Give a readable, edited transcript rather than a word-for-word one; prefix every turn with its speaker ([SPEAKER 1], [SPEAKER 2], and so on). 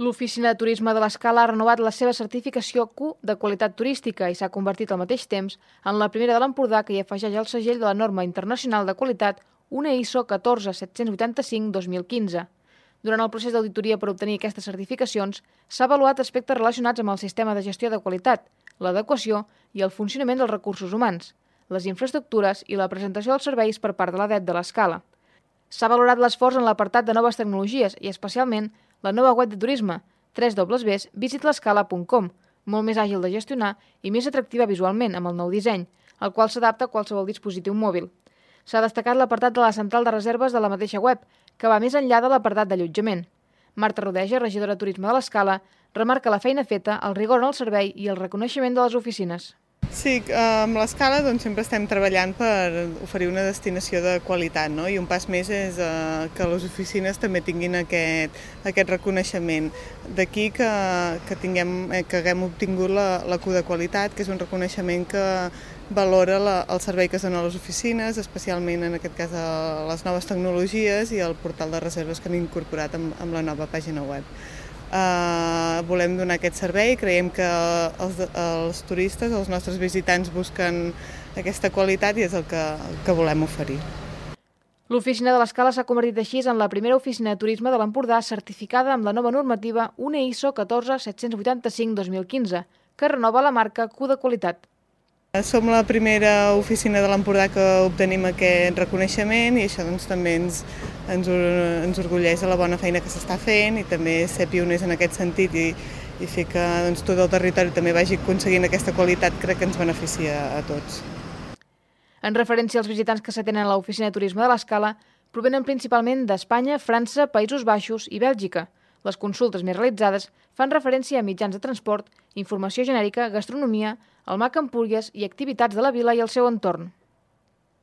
[SPEAKER 1] L'Oficina de Turisme de l'Escala ha renovat la seva certificació Q de qualitat turística i s'ha convertit al mateix temps en la primera de l'Empordà que hi afegeix el segell de la norma internacional de qualitat una ISO 14785-2015. Durant el procés d'auditoria per obtenir aquestes certificacions, s'ha avaluat aspectes relacionats amb el sistema de gestió de qualitat, l'adequació i el funcionament dels recursos humans, les infraestructures i la presentació dels serveis per part de l'ADET de l'Escala. S'ha valorat l'esforç en l'apartat de noves tecnologies i, especialment, la nova web de turisme, www.visitlescala.com, molt més àgil de gestionar i més atractiva visualment amb el nou disseny, el qual s'adapta a qualsevol dispositiu mòbil. S'ha destacat l'apartat de la central de reserves de la mateixa web, que va més enllà de l'apartat d'allotjament. Marta Rodeja, regidora de Turisme de l'Escala, remarca la feina feta, el rigor en el servei i el reconeixement de les oficines.
[SPEAKER 2] Sí, amb l'Escala sempre estem treballant per oferir una destinació de qualitat, no? I un pas més és que les oficines també tinguin aquest reconeixement. D'aquí que haguem obtingut la Q de qualitat, que és un reconeixement que valora el servei que es dona a les oficines, especialment en aquest cas a les noves tecnologies i el portal de reserves que hem incorporat amb la nova pàgina web. Volem donar aquest servei, creiem que els turistes, els nostres visitants busquen aquesta qualitat i és el que volem oferir.
[SPEAKER 1] L'Oficina de l'Escala s'ha convertit així en la primera oficina de turisme de l'Empordà certificada amb la nova normativa una ISO 14785-2015, que renova la marca Q de qualitat.
[SPEAKER 2] Som la primera oficina de l'Empordà que obtenim aquest reconeixement i això també ens orgulleix de la bona feina que s'està fent i també ser pioners en aquest sentit i fer que tot el territori també vagi aconseguint aquesta qualitat crec que ens beneficia a tots.
[SPEAKER 1] En referència als visitants que s'atenen a l'Oficina de Turisme de l'Escala, provenen principalment d'Espanya, França, Països Baixos i Bèlgica. Les consultes més realitzades fan referència a mitjans de transport, informació genèrica, gastronomia, el MAC Empúries i activitats de la vila i el seu entorn.